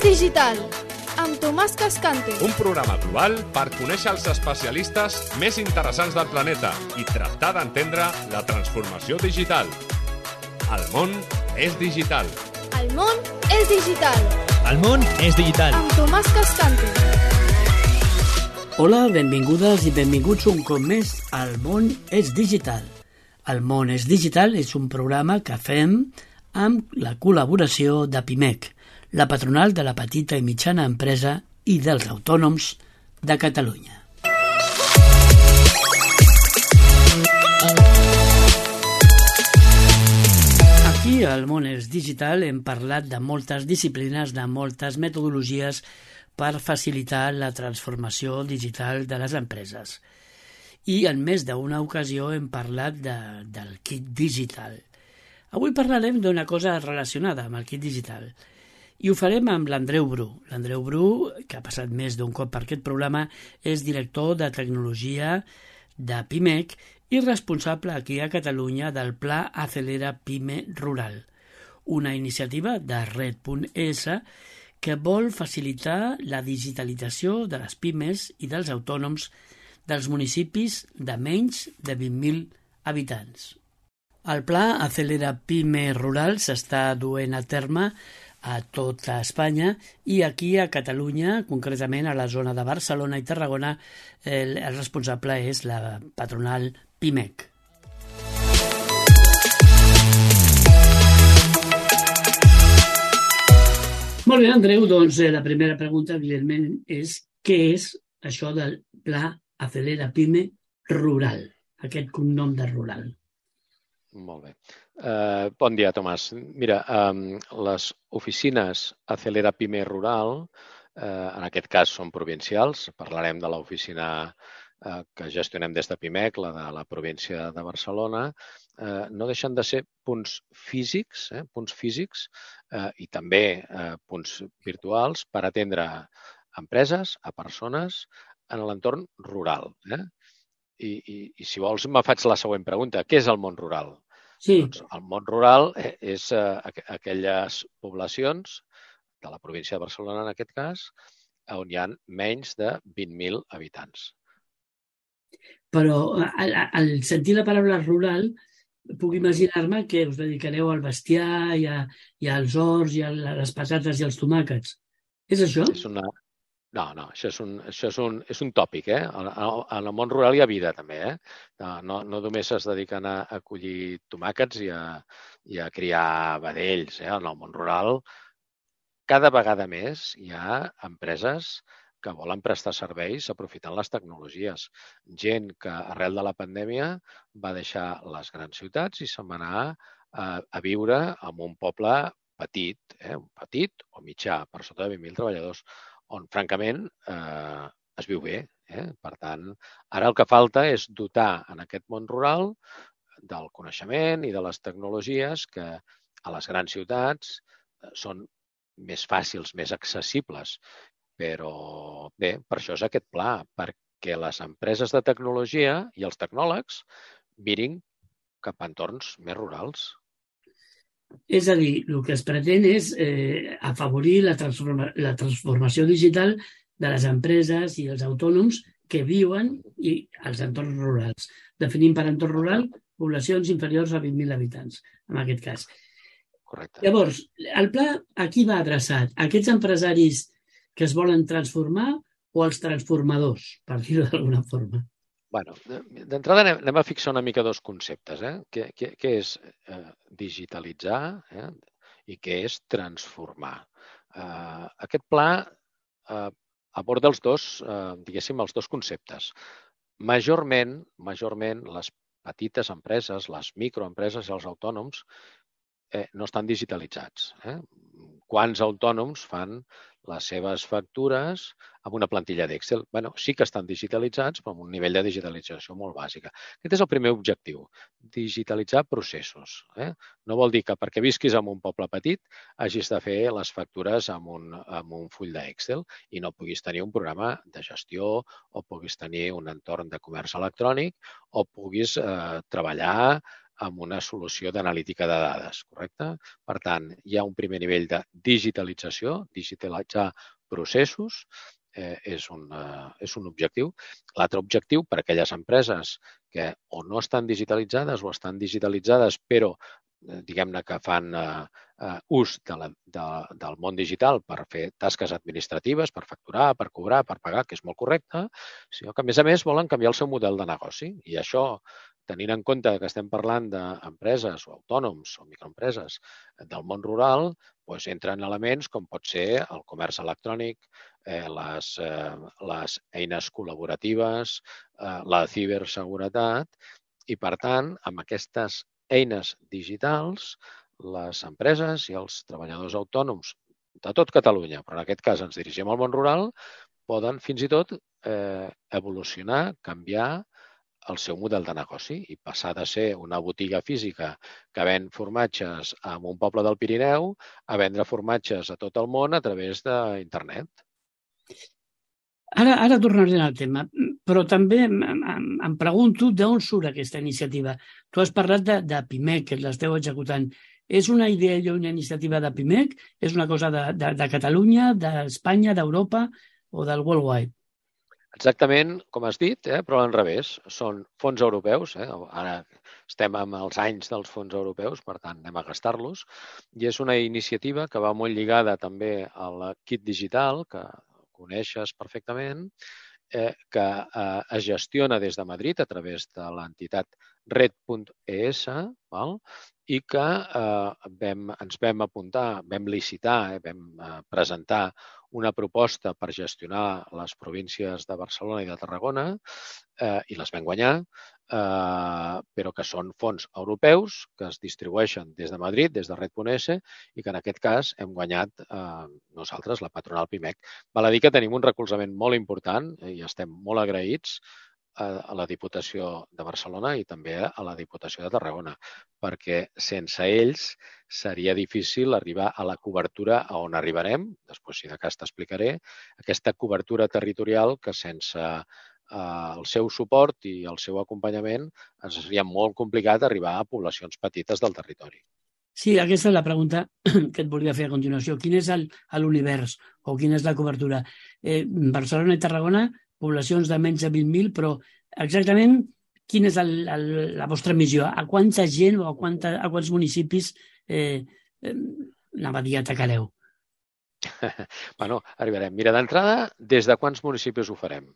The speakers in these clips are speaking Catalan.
digital, amb Tomàs Cascante. Un programa global per conèixer els especialistes més interessants del planeta i tractar d'entendre la transformació digital. El món és digital. El món és digital. El món és digital. Amb Tomàs Cascante. Hola, benvingudes i benvinguts un cop més al món és digital. El món és digital és un programa que fem amb la col·laboració de PIMEC, la patronal de la petita i mitjana empresa i dels autònoms de Catalunya. Aquí al món és digital hem parlat de moltes disciplines, de moltes metodologies per facilitar la transformació digital de les empreses. I en més d'una ocasió hem parlat del kit digital. Avui parlarem d'una cosa relacionada amb el kit digital i ho farem amb l'Andreu Bru. L'Andreu Bru, que ha passat més d'un cop per aquest programa, és director de tecnologia de PIMEC i responsable aquí a Catalunya del Pla Acelera Pime Rural, una iniciativa de Red.es que vol facilitar la digitalització de les pimes i dels autònoms dels municipis de menys de 20.000 habitants. El Pla Acelera Pime Rural s'està duent a terme a tota Espanya i aquí a Catalunya, concretament a la zona de Barcelona i Tarragona, el responsable és la patronal PIMEC. Molt bé, Andreu, doncs la primera pregunta, evidentment, és què és això del Pla Acelera Pime Rural, aquest cognom de rural? Molt bé. Bon dia, Tomàs. Mira, les oficines Acelera Pime Rural, en aquest cas són provincials, parlarem de l'oficina que gestionem des de PIMEC, la de la província de Barcelona, no deixen de ser punts físics i també punts virtuals per atendre empreses, a persones, en l'entorn rural. I si vols, me faig la següent pregunta. Què és el món rural? Sí. Doncs el món rural és aquelles poblacions de la província de Barcelona, en aquest cas, on hi ha menys de 20.000 habitants. Però al sentir la paraula rural, puc imaginar-me que us dedicareu al bestiar i als horts i a les patates i als tomàquets. És això? No, això és un tòpic. En el món rural hi ha vida, també. No només es dediquen a collir tomàquets i a criar vedells. En el món rural, cada vegada més hi ha empreses que volen prestar serveis aprofitant les tecnologies. Gent que arrel de la pandèmia va deixar les grans ciutats i se'n va anar a viure en un poble petit, un petit o mitjà, per sota de 20.000 treballadors, on, francament, es viu bé. Per tant, ara el que falta és dotar en aquest món rural del coneixement i de les tecnologies que a les grans ciutats són més fàcils, més accessibles. Però bé, per això és aquest pla, perquè les empreses de tecnologia i els tecnòlegs mirin cap a entorns més rurals. És a dir, el que es pretén és afavorir la transformació digital de les empreses i els autònoms que viuen als entorns rurals. Definim per entorn rural poblacions inferiors a 20.000 habitants, en aquest cas. Correcte. Llavors, el pla a qui va adreçat? A aquests empresaris que es volen transformar o als transformadors, per dir-ho d'alguna forma? D'entrada anem a fixar una mica dos conceptes. Què és digitalitzar i què és transformar? Aquest pla aborda els dos conceptes. Majorment, les petites empreses, les microempreses i els autònoms no estan digitalitzats. Quants autònoms fan les seves factures amb una plantilla d'Excel? Sí que estan digitalitzats, però amb un nivell de digitalització molt bàsica. Aquest és el primer objectiu, digitalitzar processos. No vol dir que perquè visquis en un poble petit hagis de fer les factures amb un full d'Excel i no puguis tenir un programa de gestió o puguis tenir un entorn de comerç electrònic o puguis treballar amb una solució d'analítica de dades, correcte? Per tant, hi ha un primer nivell de digitalització, digitalitzar processos, és un objectiu. L'altre objectiu, per a aquelles empreses que o no estan digitalitzades o estan digitalitzades, però diguem-ne que fan ús del món digital per fer tasques administratives, per facturar, per cobrar, per pagar, que és molt correcte, sinó que, a més, volen canviar el seu model de negoci. I això, tenint en compte que estem parlant d'empreses o autònoms o microempreses del món rural, doncs entren elements com pot ser el comerç electrònic, les eines col·laboratives, la ciberseguretat, i, per tant, amb aquestes eines digitals, les empreses i els treballadors autònoms de tot Catalunya, però en aquest cas ens dirigim al món rural, poden fins i tot evolucionar, canviar el seu model de negoci i passar de ser una botiga física que ven formatges en un poble del Pirineu a vendre formatges a tot el món a través d'internet. Ara tornaré al tema, però també em pregunto d'on surt aquesta iniciativa. Tu has parlat de PIMEC, que l'esteu executant. És una idea i una iniciativa de PIMEC? És una cosa de Catalunya, d'Espanya, d'Europa o del Worldwide? Exactament com has dit, però al revés. Són fons europeus. Ara estem amb els anys dels fons europeus, per tant, anem a gastar-los. I és una iniciativa que va molt lligada també al kit digital, que coneixes perfectament, que es gestiona des de Madrid a través de l'entitat red.es, i que ens vam apuntar, vam licitar, vam presentar una proposta per gestionar les províncies de Barcelona i de Tarragona i les vam guanyar, però que són fons europeus que es distribueixen des de Madrid, des de red.es, i que en aquest cas hem guanyat nosaltres, la patronal PIMEC. Val a dir que tenim un recolzament molt important i estem molt agraïts a la Diputació de Barcelona i també a la Diputació de Tarragona, perquè sense ells seria difícil arribar a la cobertura a on arribarem, després si de cas t'explicaré, aquesta cobertura territorial que sense el seu suport i el seu acompanyament ens seria molt complicat arribar a poblacions petites del territori. Sí, aquesta és la pregunta que et volia fer a continuació. Quin és l'univers o quina és la cobertura? Barcelona i Tarragona, poblacions de menys de 20.000, però exactament quina és la vostra missió? A quanta gent o a quants municipis atacareu? Bueno, arribarem. Mira, d'entrada, des de quants municipis ho farem?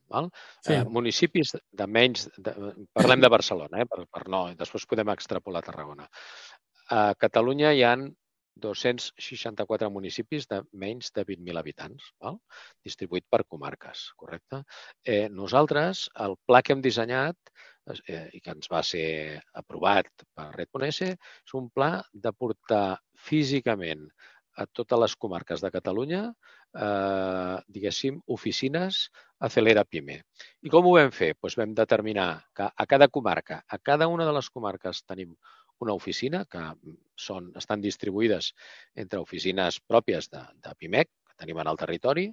Sí. Municipis de menys... Parlem de Barcelona, per no, després podem extrapolar a Tarragona. A Catalunya hi ha 264 municipis de menys de 20.000 habitants, distribuït per comarques, correcte? Nosaltres, el pla que hem dissenyat i que ens va ser aprovat per red.es, és un pla de portar físicament a totes les comarques de Catalunya, diguéssim, oficines Acelera PIME. I com ho vam fer? Doncs vam determinar que a cada comarca, a cada una de les comarques tenim una oficina que estan distribuïdes entre oficines pròpies de PIMEC, que tenim en el territori,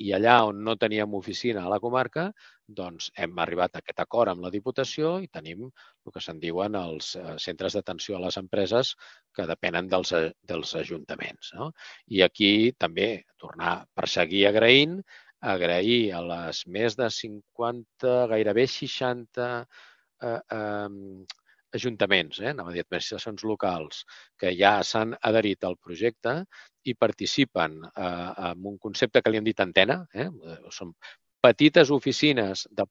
i allà on no teníem oficina a la comarca, doncs hem arribat a aquest acord amb la Diputació i tenim el que se'n diuen els centres d'atenció a les empreses que depenen dels ajuntaments. I aquí també tornar per seguir agrair a les més de 50, gairebé 60 ajuntaments, anava a dir administracions locals, que ja s'han adherit al projecte i participen en un concepte que li hem dit antena. Són petites oficines de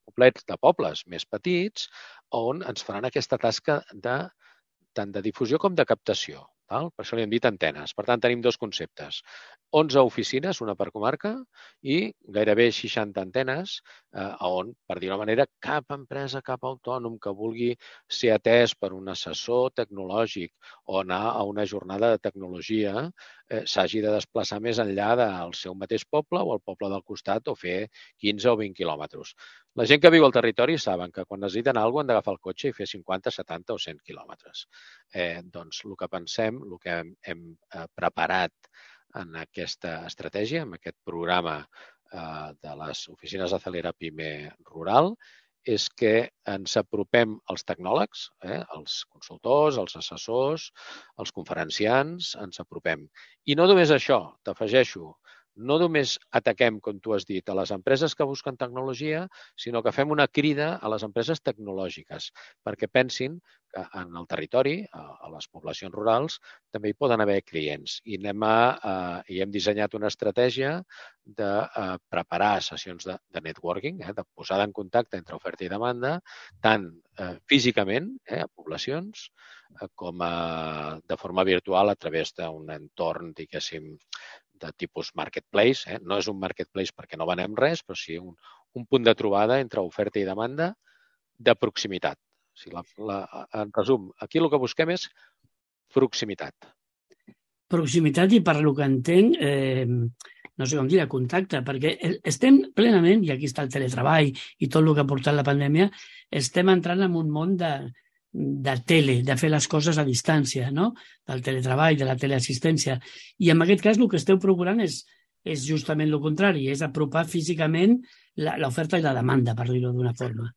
pobles més petits on ens faran aquesta tasca tant de difusió com de captació. Per això li hem dit antenes. Per tant, tenim dos conceptes. 11 oficines, una per comarca, i gairebé 60 antenes on, per dir-ho d'una manera, cap empresa, cap autònom que vulgui ser atès per un assessor tecnològic o anar a una jornada de tecnologia s'hagi de desplaçar més enllà del seu mateix poble o el poble del costat o fer 15 o 20 quilòmetres. La gent que viu al territori saben que quan necessiten alguna cosa han d'agafar el cotxe i fer 50, 70 o 100 quilòmetres. Doncs el que pensem, el que hem preparat en aquesta estratègia, en aquest programa de les oficines Acelera PIME Rural, és que ens apropem als tecnòlegs, els consultors, els assessors, els conferenciants, ens apropem. I no només això, t'afegeixo, no només ataquem, com tu has dit, a les empreses que busquen tecnologia, sinó que fem una crida a les empreses tecnològiques perquè pensin que en el territori, a les poblacions rurals, també hi poden haver clients. I hem dissenyat una estratègia de preparar sessions de networking, de posada en contacte entre oferta i demanda, tant físicament a poblacions com de forma virtual a través d'un entorn, diguéssim, de tipus marketplace. No és un marketplace perquè no venem res, però sí un punt de trobada entre oferta i demanda de proximitat. En resum, aquí el que busquem és proximitat. Proximitat i, per lo que entenc, no sé com dir, contacte, perquè estem plenament, i aquí està el teletreball i tot el que ha portat la pandèmia, estem entrant en un món de tele, de fer les coses a distància, no? Del teletreball, de la teleassistència. I en aquest cas el que esteu procurant és justament el contrari, és apropar físicament l'oferta i la demanda, per dir-ho d'una forma.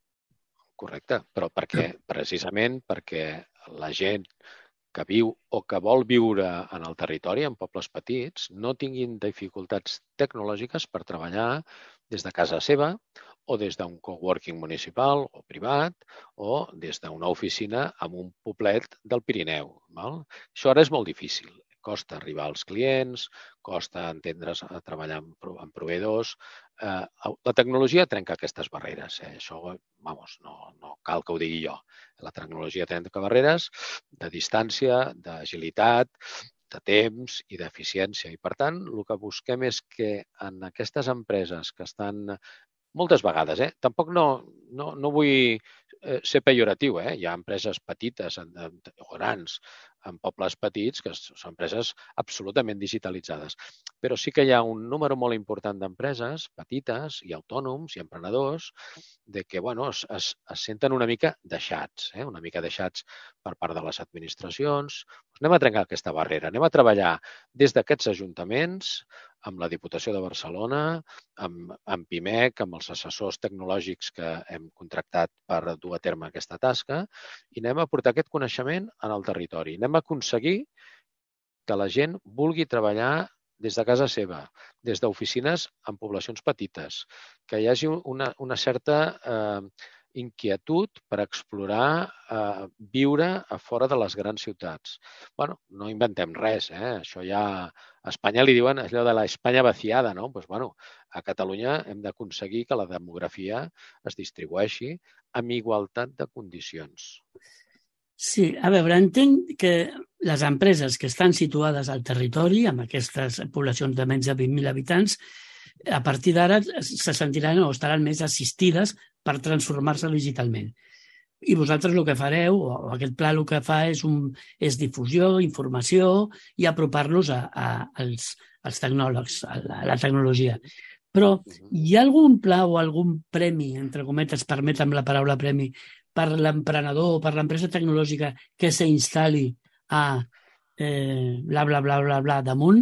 Correcte, però precisament perquè la gent que viu o que vol viure en el territori, en pobles petits, no tinguin dificultats tecnològiques per treballar des de casa seva o des d'un coworking municipal o privat o des d'una oficina en un poblet del Pirineu. Això ara és molt difícil. Costa arribar als clients, costa entendre's a treballar amb proveïdors. La tecnologia trenca aquestes barreres. Això, no cal que ho digui jo. La tecnologia trenca barreres de distància, d'agilitat, de temps i d'eficiència. I, per tant, el que busquem és que en aquestes empreses que estan moltes vegades, tampoc no vull ser pejoratiu, hi ha empreses petites o grans en pobles petits que són empreses absolutament digitalitzades. Però sí que hi ha un número molt important d'empreses petites i autònoms i emprenedors que es senten una mica deixats, per part de les administracions. Anem a trencar aquesta barrera, anem a treballar des d'aquests ajuntaments, amb la Diputació de Barcelona, amb PIMEC, amb els assessors tecnològics que hem contractat per dur a terme aquesta tasca, i anem a portar aquest coneixement en el territori. Anem a aconseguir que la gent vulgui treballar des de casa seva, des d'oficines en poblacions petites, que hi hagi una certa inquietud per explorar viure a fora de les grans ciutats. No inventem res, això ja a Espanya li diuen allò de l'Espanya vaciada, no? A Catalunya hem d'aconseguir que la demografia es distribueixi amb igualtat de condicions. Sí, a veure, entenc que les empreses que estan situades al territori, amb aquestes poblacions de menys de 20.000 habitants, a partir d'ara se sentiran o estaran més assistides per transformar-se digitalment. I vosaltres el que fareu, o aquest pla el que fa és difusió, informació i apropar-los als tecnòlegs, a la tecnologia. Però hi ha algun pla o algun premi, entre cometes, permetem la paraula premi, per l'emprenedor o per l'empresa tecnològica que s'instal·li a bla, bla, bla, bla, bla, damunt?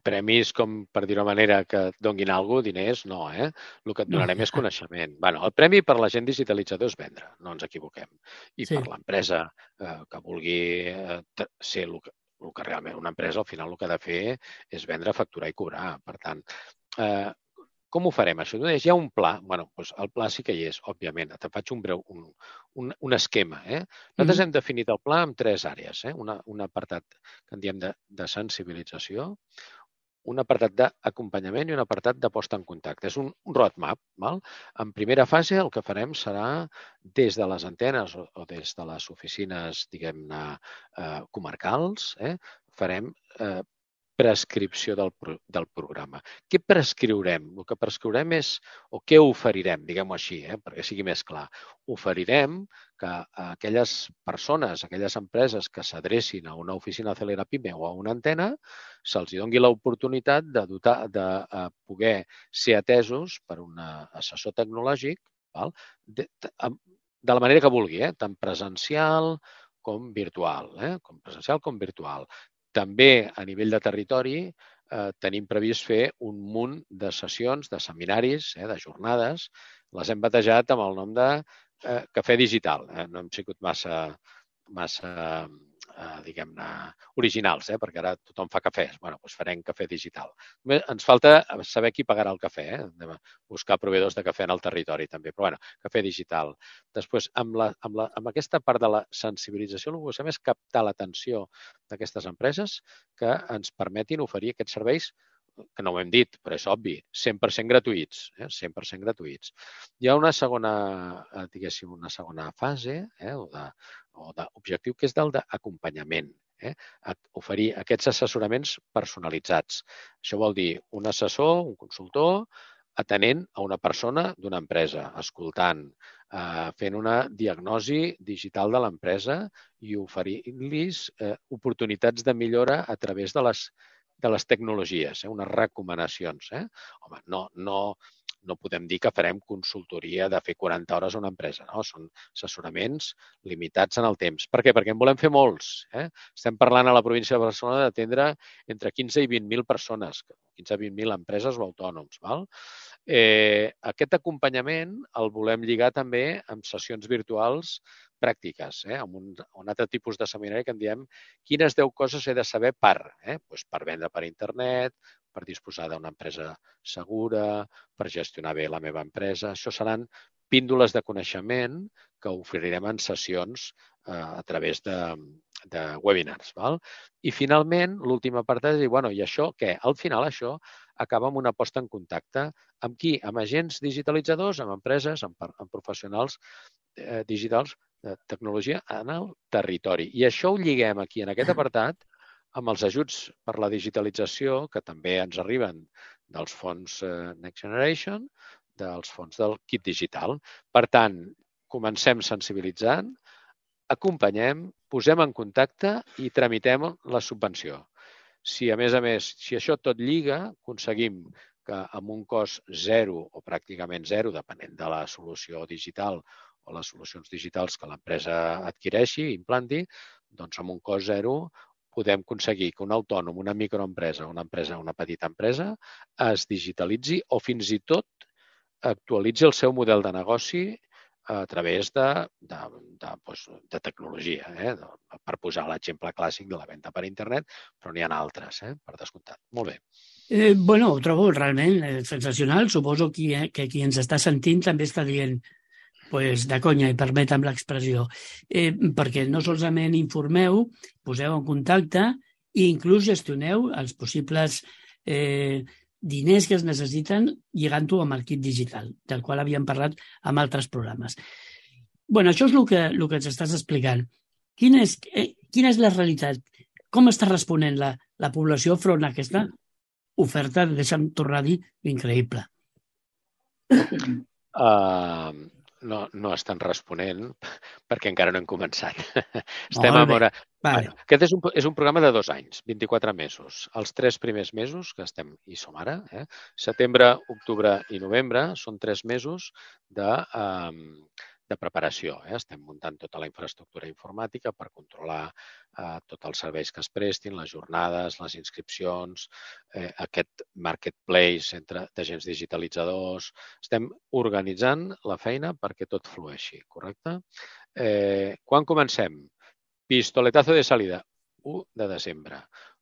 Premis, com per dir-ho manera, que et donguin alguna cosa, diners, no, El que et donarem és coneixement. El premi per la gent digitalitzador és vendre, no ens equivoquem. I per l'empresa que vulgui ser el que realment una empresa, al final, el que ha de fer és vendre, facturar i cobrar. Per tant, com ho farem, això? Hi ha un pla. El pla sí que hi és, òbviament. Te faig un esquema. Nosaltres hem definit el pla en 3 àrees. Un apartat que en diem de sensibilització, un apartat d'acompanyament i un apartat de posta en contacte. És un roadmap. En primera fase el que farem serà des de les antenes o des de les oficines, diguem-ne, comarcals, farem prescripció del programa. Què prescriurem? El que prescriurem és, o què oferirem, diguem-ho així, perquè sigui més clar. Oferirem que aquelles persones, aquelles empreses que s'adrecin a una oficina Celera PIME o a una antena, se'ls doni l'oportunitat de poder ser atesos per un assessor tecnològic de la manera que vulgui, tant presencial com virtual. també a nivell de territori tenim previst fer un munt de sessions, de seminaris, de jornades. Les hem batejat amb el nom de Cafè Digital. No hem sigut massa diguem-ne, originals, perquè ara tothom fa cafès. Bé, doncs farem cafè digital. Ens falta saber qui pagarà el cafè. Hem de buscar proveïdors de cafè en el territori, també. Però, bueno, cafè digital. Després, amb aquesta part de la sensibilització, el que busquem és captar l'atenció d'aquestes empreses que ens permetin oferir aquests serveis que no ho hem dit, però és obvi, 100% gratuïts, 100% gratuïts. Hi ha una segona, diguéssim, una segona fase o d'objectiu que és del d'acompanyament, oferir aquests assessoraments personalitzats. Això vol dir un assessor, un consultor, atenent a una persona d'una empresa, escoltant, fent una diagnosi digital de l'empresa i oferint-los oportunitats de millora a través de les tecnologies, unes recomanacions. Home, no podem dir que farem consultoria de fer 40 hores a una empresa, no? Són assessoraments limitats en el temps. Per què? Perquè en volem fer molts. Estem parlant a la província de Barcelona d'atendre entre 15 i 20.000 persones, 15 a 20.000 empreses o autònoms. Aquest acompanyament el volem lligar també amb sessions virtuals pràctiques, amb un altre tipus de seminari que en diem quines 10 coses he de saber per vendre per internet, per disposar d'una empresa segura, per gestionar bé la meva empresa. Això seran píndoles de coneixement que oferirem en sessions a través de webinars. I finalment, l'última part és dir, i això què? Al final això acaba amb una posta en contacte amb qui? Amb agents digitalitzadors, amb empreses, amb professionals digitals de tecnologia en el territori. I això ho lliguem aquí, en aquest apartat, amb els ajuts per la digitalització que també ens arriben dels fons Next Generation, dels fons del kit digital. Per tant, comencem sensibilitzant, acompanyem, posem en contacte i tramitem la subvenció. Si, a més, si això tot lliga, aconseguim que amb un cost zero o pràcticament zero, depenent de la solució digital o les solucions digitals que l'empresa adquireixi i implanti, doncs amb un cost zero podem aconseguir que un autònom, una microempresa, una petita empresa, es digitalitzi o fins i tot actualitzi el seu model de negoci a través de tecnologia. Per posar l'exemple clàssic de la venda per internet, però n'hi ha altres, per descomptat. Molt bé. Ho trobo realment sensacional. Suposo que qui ens està sentint també està dient de conya, i permetem l'expressió, perquè no solament informeu, poseu en contacte i inclús gestioneu els possibles diners que es necessiten lligant-ho amb el kit digital, del qual havíem parlat en altres programes. Això és el que ens estàs explicant. Quina és la realitat? Com està responent la població front a aquesta oferta, deixa'm tornar a dir, increïble? No estan responent perquè encara no hem començat. Estem a veure... Aquest és un programa de 2 anys, 24 mesos. Els 3 primers mesos, que estem i som ara, setembre, octubre i novembre, són 3 mesos de preparació. Estem muntant tota la infraestructura informàtica per controlar tots els serveis que es prestin, les jornades, les inscripcions, aquest marketplace d'agents digitalitzadors. Estem organitzant la feina perquè tot flueixi, correcte? Quan comencem? Pistoletazo de salida, 1 de desembre.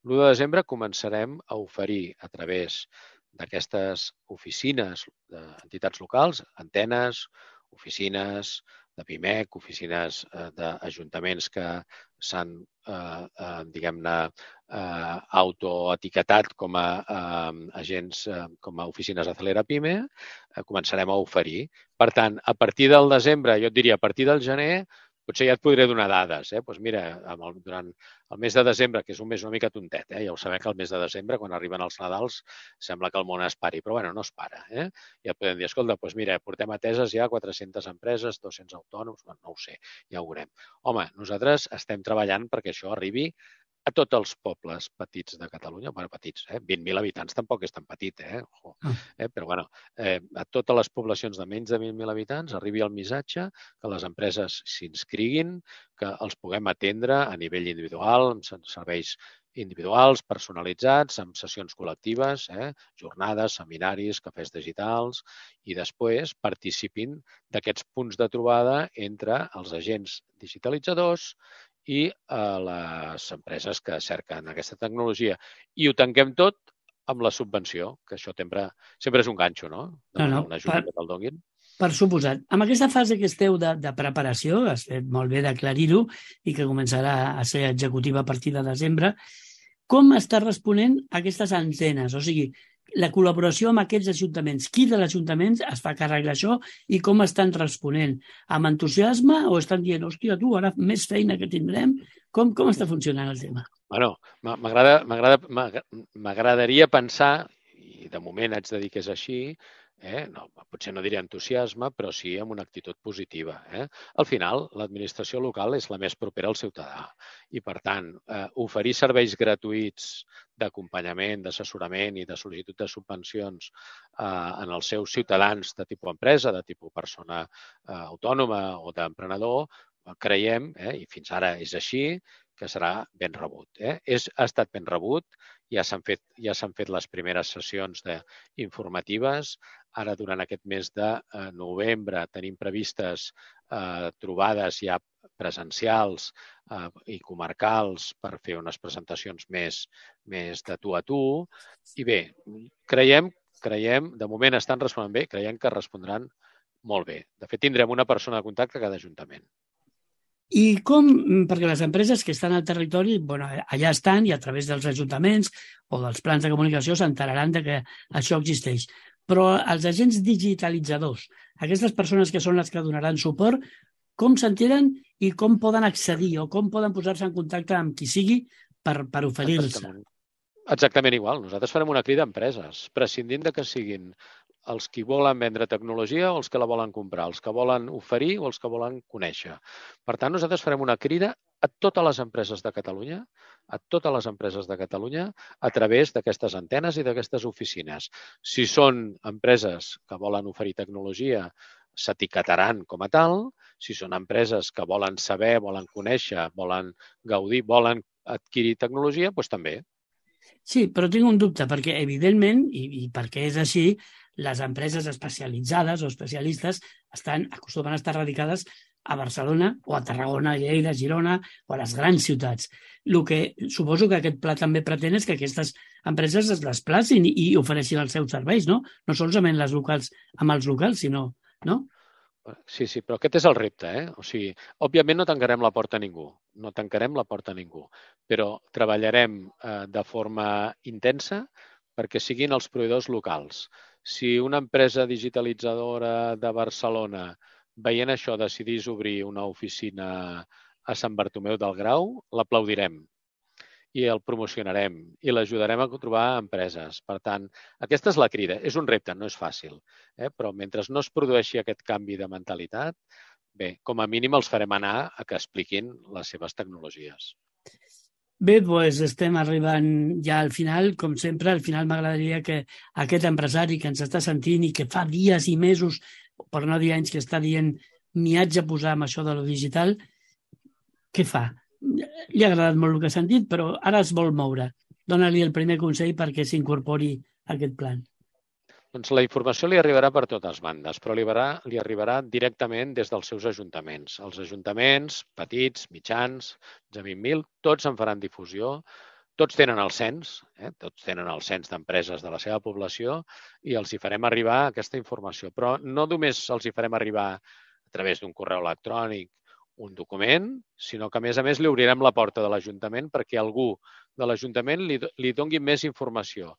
L'1 de desembre començarem a oferir a través d'aquestes oficines d'entitats locals, antenes, oficines de PIMEC, oficines d'ajuntaments que s'han, diguem-ne, autoetiquetat com a agents, com a oficines Acelera PIME, començarem a oferir. Per tant, a partir del desembre, jo et diria a partir del gener, potser ja et podré donar dades. Doncs mira, durant el mes de desembre, que és un mes una mica tontet, ja ho sabem que el mes de desembre, quan arriben els Nadals, sembla que el món es pari, però no es para. Ja podem dir, escolta, doncs mira, portem ateses ja 400 empreses, 200 autònoms, no ho sé, ja ho veurem. Home, nosaltres estem treballant perquè això arribi a tots els pobles petits de Catalunya, petits, 20.000 habitants tampoc és tan petit, però a totes les poblacions de menys de 20.000 habitants arribi el missatge que les empreses s'inscriguin, que els puguem atendre a nivell individual, amb serveis individuals, personalitzats, amb sessions col·lectives, jornades, seminaris, cafès digitals, i després participin d'aquests punts de trobada entre els agents digitalitzadors i les empreses que cerquen aquesta tecnologia. I ho tanquem tot amb la subvenció, que això sempre és un ganxo, no? Demanar una ajuda que te'l donin. Per suposat. Amb aquesta fase que esteu de preparació, has fet molt bé d'aclarir-ho i que començarà a ser executiva a partir de desembre, com està responent a aquestes antenes? O sigui, la col·laboració amb aquests ajuntaments. Qui de l'Ajuntament es fa càrrec d'això i com estan responent? Amb entusiasme o estan dient, hòstia, tu, ara més feina que tindrem? Com està funcionant el tema? Bueno, m'agradaria pensar, i de moment haig de dir que és així, no, potser no diré entusiasme, però sí amb una actitud positiva. Al final, l'administració local és la més propera al ciutadà i, per tant, oferir serveis gratuïts d'acompanyament, d'assessorament i de sol·licitud de subvencions en els seus ciutadans de tipus empresa, de tipus persona autònoma o d'emprenedor, creiem, i fins ara és així, que serà ben rebut. Ha estat ben rebut, ja s'han fet les primeres sessions informatives. Ara, durant aquest mes de novembre, tenim previstes trobades ja presencials i comarcals per fer unes presentacions més de tu a tu. I bé, creiem, de moment estan responent bé, creiem que respondran molt bé. De fet, tindrem una persona de contacte a cada ajuntament. I com, perquè les empreses que estan al territori, allà estan i a través dels ajuntaments o dels plans de comunicació s'enteraran que això existeix. Però els agents digitalitzadors, aquestes persones que són les que donaran suport, com s'enteren i com poden accedir o com poden posar-se en contacte amb qui sigui per oferir-se? Exactament igual. Nosaltres farem una crida a empreses, prescindint de que siguin els que volen vendre tecnologia o els que la volen comprar, els que volen oferir o els que volen conèixer. Per tant, nosaltres farem una crida a totes les empreses de Catalunya, a través d'aquestes antenes i d'aquestes oficines. Si són empreses que volen oferir tecnologia, s'etiquetaran com a tal. Si són empreses que volen saber, volen conèixer, volen gaudir, volen adquirir tecnologia, doncs també. Sí, però tinc un dubte, perquè evidentment, i perquè és així, les empreses especialitzades o especialistes acostumen a estar radicades a Barcelona o a Tarragona, a Lleida, a Girona o a les grans ciutats. El que suposo que aquest pla també pretén és que aquestes empreses es desplacin i ofereixin els seus serveis, no? No solament les locals amb els locals, sinó... no? Sí, però aquest és el repte. O sigui, òbviament no tancarem la porta a ningú, però treballarem de forma intensa perquè siguin els proveïdors locals. Si una empresa digitalitzadora de Barcelona, veient això, decidís obrir una oficina a Sant Bartomeu del Grau, l'aplaudirem i el promocionarem i l'ajudarem a trobar empreses. Per tant, aquesta és la crida. És un repte, no és fàcil, però mentre no es produeixi aquest canvi de mentalitat, bé, com a mínim els farem anar a que expliquin les seves tecnologies. Bé, doncs estem arribant ja al final. Com sempre, al final m'agradaria que aquest empresari que ens està sentint i que fa dies i mesos, per no dir anys, que està dient m'hi haig de posar amb això de lo digital, què fa? Li ha agradat molt el que ha sentit, però ara es vol moure. Dóna-li el primer consell perquè s'incorpori a aquest plan. Doncs la informació li arribarà per totes bandes, però li arribarà directament des dels seus ajuntaments. Els ajuntaments, petits, mitjans, de 20.000, tots en faran difusió. Tots tenen el cens, d'empreses de la seva població i els hi farem arribar aquesta informació. Però no només els hi farem arribar a través d'un correu electrònic, un document, sinó que, a més, li obrirem la porta de l'Ajuntament perquè algú de l'Ajuntament li doni més informació.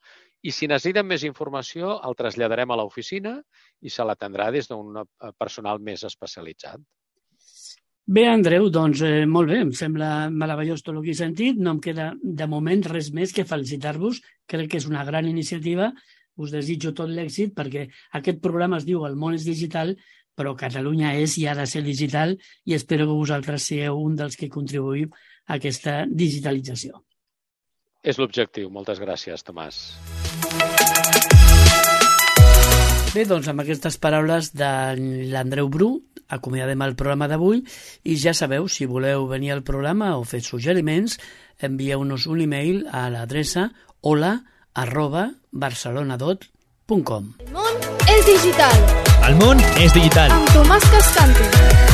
I si necessiten més informació, el traslladarem a l'oficina i se l'atendrà des d'un personal més especialitzat. Bé, Andreu, doncs molt bé, em sembla meravellós tot el que he sentit. No em queda de moment res més que felicitar-vos. Crec que és una gran iniciativa. Us desitjo tot l'èxit perquè aquest programa es diu El món és digital, però Catalunya és i ha de ser digital i espero que vosaltres sigueu un dels que contribuïu a aquesta digitalització. És l'objectiu. Moltes gràcies, Tomàs. Bé, doncs amb aquestes paraules de l'Andreu Bru, acomiadem el programa d'avui i ja sabeu, si voleu venir al programa o fer suggeriments, envieu-nos un e-mail a l'adreça hola@barcelonadot.com. El món és digital. El món és digital. Amb Tomàs Cascante.